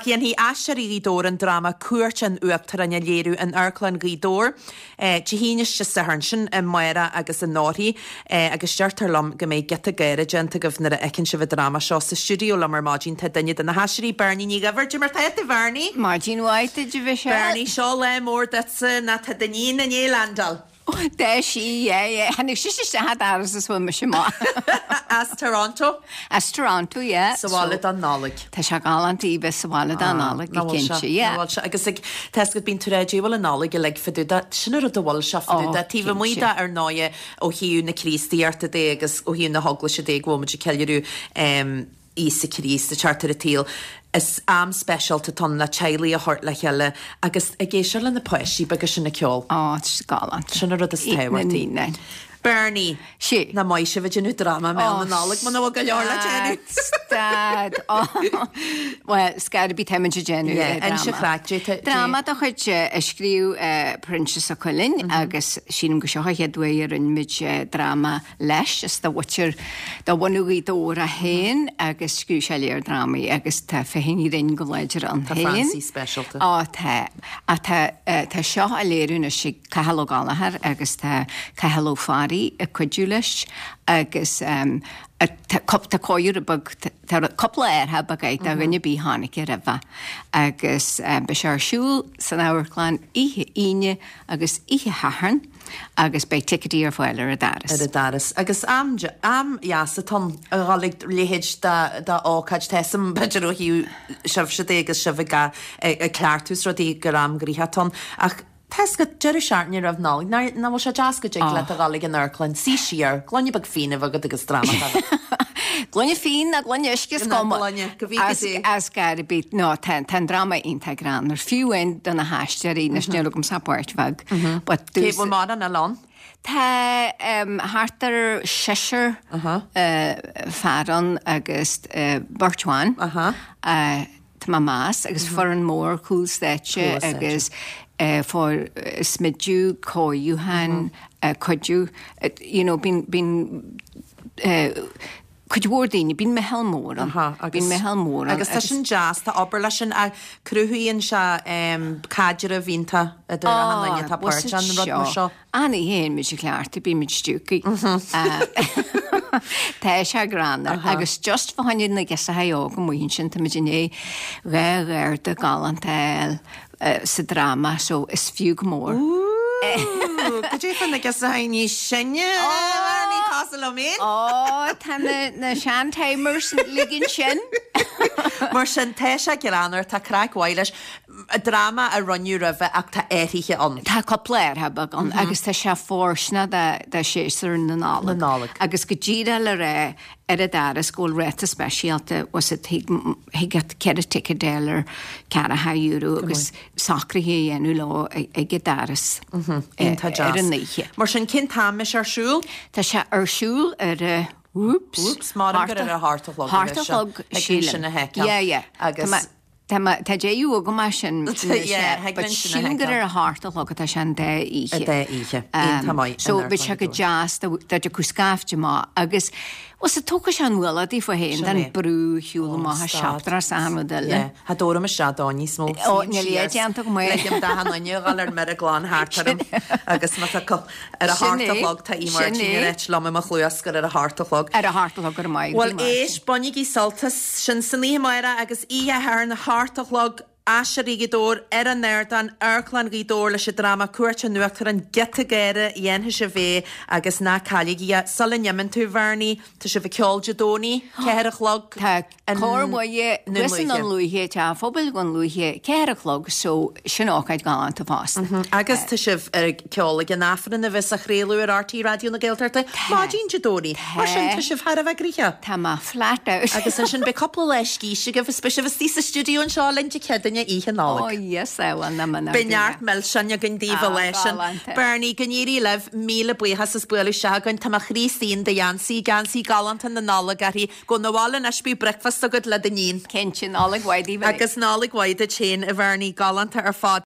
Ach dhéanfaidh Aisteoirí Ghaoth Dobhair an dráma Cuairt an Uachtaráin a léiriú in Amharclann Ghaoth Dobhair Dé hAoine is Dé Sathairn, sin amárach agus anórthaidh, agus deirtear liom go mbeidh giota gáire déanta agaibh nuair a fheiceann sibh an dráma seo. Sa stiúideo liom ar maidin tá duine de na haisteoirí, Bernie Ní Dhuibhir. Cad é mar tá tú, a Bhernie? Maidin mhaith duit, a Mhichelle. Bernie, seo lá mór duitse, nó tá d'iníon i ndiaidh landáil. Tá sí, yeah, yeah. Tháinig sise isteach an doras is bhain mise amach. As Toronto? As Toronto, yeah. Sa bhaile don Nollaig. Tá sé galánta í bheith sa bhaile don Nollaig, go cinnte, yeah. Nach bhfuil sé? Agus ag, tá fhios agat, bíonn tú ag rá, dé bhfuil an Nollaig uilig fá dtaobh de, sin an rud a bhfuil sé fá dtaobh de, taobh amuigh de ar ndóighe ó thaobh na Críostaíochta de agus ó thaobh na hEaglaise de go bhfuil muid ag ceiliúradh Íosa Críost ag teacht ar an tsaol. Is am speisialta atá ann le teaghlaigh a thabhairt le chéile agus ag éisteacht le na páistí beaga sin ag ceol. Á, tá sé galánta. Sin an rud is tábhachtaí. Na naíonáin. Bernie, Sea. Nach maith sibh ag déanamh dráma i mBéal na Nollag muna bhfuil go leor le déanamh. Stad! Bhuel, scor ar bith táimid ag déanamh Yeah, dráma. Inse craic, dé tá- dé- Dráma de chuid a scríobh Proinsias Ó Cuilinn agus sílim gur seo an chéad uair a rinne muid dráma leis. Is de mhuintir de bhunadh Ghaoth Dobhair é féin agus scríobh sé lear drámaí agus tá féith an ghrinn go láidir ann Tá féin. Francie speisialta. Á tá. Ach tá tá seo á léiriú anois ag Cathal Ó Gallchóir agus tá Cathal Ó Fearraigh ag cuidiú leis agus tá tá cóiriú beag tá cúpla athrach beag air do dhuine ar bith a chonaic é roimhe agus beidh sé ar siúl san amharclann oíche Aoine agus oíche Shathairn. agus beidh ticéidí ar fáil ar an doras. ar an doras. Agus am, am dheas atá ann a dhul ag leithéid de, de ócáid. Tá 'fhios a'm, b'fhéidir ó thaobh sibhse de agus sibh ag, ag cleachtadh is rudaí gur am gnoitheach atá ann. Ach tá 'fhios agat, deireadh seachtaine roimh Nollaig, nach, nach bhfuil sé deas go dtig leat a dhul ag an amharclann, suí siar, gloine beag fíon a bheith agat agus dráma a bheith. Gloine fíon nó gloine uisce is Nó cuma. gloine, go bhfígh As, go dté. as gar ar bith. No, tá, tá an dráma iontach greannmhar. Fiú amháin do na haisteoirí, anois níl agamsa ach páirt bheag. But Cé bhfuil mórán eile ann? Tá um, thart ar seisear uh, fear ann agus uh, beirt bhan. Uh-huh. Uh, tá mé ag meas agus foireann mór cúl stáitse agus fóir smidiú, cóiriúchán, cuidiú, you know, bíonn, bíonn cuid mhór daoine, bíonn meitheal mór ann, bíonn meitheal mór ann. Agus tá sin deas, tá obair leis sin, cruthaíonn sé caidreamh iontach idir achan duine atá páirteach in rud mar seo. An oíche a théann muid ag cleachtadh, bímid stiúgtha. Tá sé greannmhar. Agus just fá choinne na girseachaí óga amuigh ansin, táimid i ndiaidh 2 gharda galánta a fháil sa dráma, so is fiú go mór. Ooh, cad é fá na girseachaí níos sine, ní cosúil liom féin? Ó, tá na sean-timers uilig ansin. Mar sin, tá sé greannmhar, tá craic mhaith leis. Dráma a rinneadh roimhe ach tá athruithe ann. Tá cúpla athrach beag ann agus tá sé fóirsteanach do séasúr na Nollag. Na Nollag. Agus go díreach le rá ar an doras go bhfuil ráta speisialta was it thig thig leat 4 ticéad a fháil ar €40 agus socruithe a dhéanamh leo ag an doras Iontach ar deas. an oíche. Mar sin cén t-am a mbeidh sé ar siúl? Tá sé ar siúl ar a Whoops. Whoops, maram gur ar a hocht a chlog a Hocht bheidh a sé. chlog Thig linn sílim. sin a sheiceáil. Yeah, yeah. Agus. Tá mé Tá mé, tá déjà vu agam as sin Yeah, yeah, thig but linn sin a sílim gur sheiceáil. ar a hocht a chlog atá sé an dá oíche. An dá oíche. Iontach maith. So in bheadh sé go Amharclann Ghaoth Dobhair. deas dá dtiocfadh scaifte maith agus bhuel sa tógfaidh sé an ualach díofa féin Sin den é. brú shiúl Ó, amach as stad. siopa is achan rud eile. Yeah. Cha dtabhraim isteach dó níos mó. Ó, Suím níl siar. é déanta go maith. Ligim d'achan duine a dhul ar mire glan thart orm agus má tá cu- ar a Sin hocht a é. chlog tá Sin Máirtín é. ag ráit liom i mo chluas gur ar a hocht a chlog. Ar a hocht a chlog go raibh maith agat, Bhuel a Mháirtín. éist, bainigí sult as sin san oíche amárach agus oíche Shathairn, a hocht a chlog, Aisteoirí Ghaoth Dobhair ar an ardán, Amharclann Ghaoth Dobhair leis an dráma Cuairt an Uachtaráin, giota gáire, dhéanfaidh sibh é agus ná cailligí é. Sula n-imíonn tú, Bhernie, tá sibh ag ceol Dé Domhnaigh, 4 a chlog. Tá Cór Mhuire nDún thuas i nDún Lúiche, Teach an Phobail Dhún Lúiche, 4 a chlog, so sin ócáid ghalánta fosta. Agus tá sibh ag ceol ag an Aifreann a bheas á chraoladh ar RTÉ Raidió na Gaeltachta maidin Dé Domhnaigh. Mar sin, tá sibh thar a bheith gnoitheach. Tá mé flat out. Agus ansin beidh cúpla lá scíste agaibh is beidh sibh istigh sa stiúideo anseo linn Dé Céadaoine oíche Nollag. Oh yes, I will, na mná. Beidh neart milseáin againn daoibh an lá sin. Bernie, go n-éirí libh, míle buíochas as bualadh isteach againn. Tá mo chroí istigh in do gheansaí, geansaí galánta na Nollag uirthi. Gabh 'na bhaile anois, bíodh bricfeasta agat le d'iníon. Cinnte, Nollaig mhaith daoibh uilig. Agus Nollaig mhaith duit féin, a Bhernie, galánta ar fad.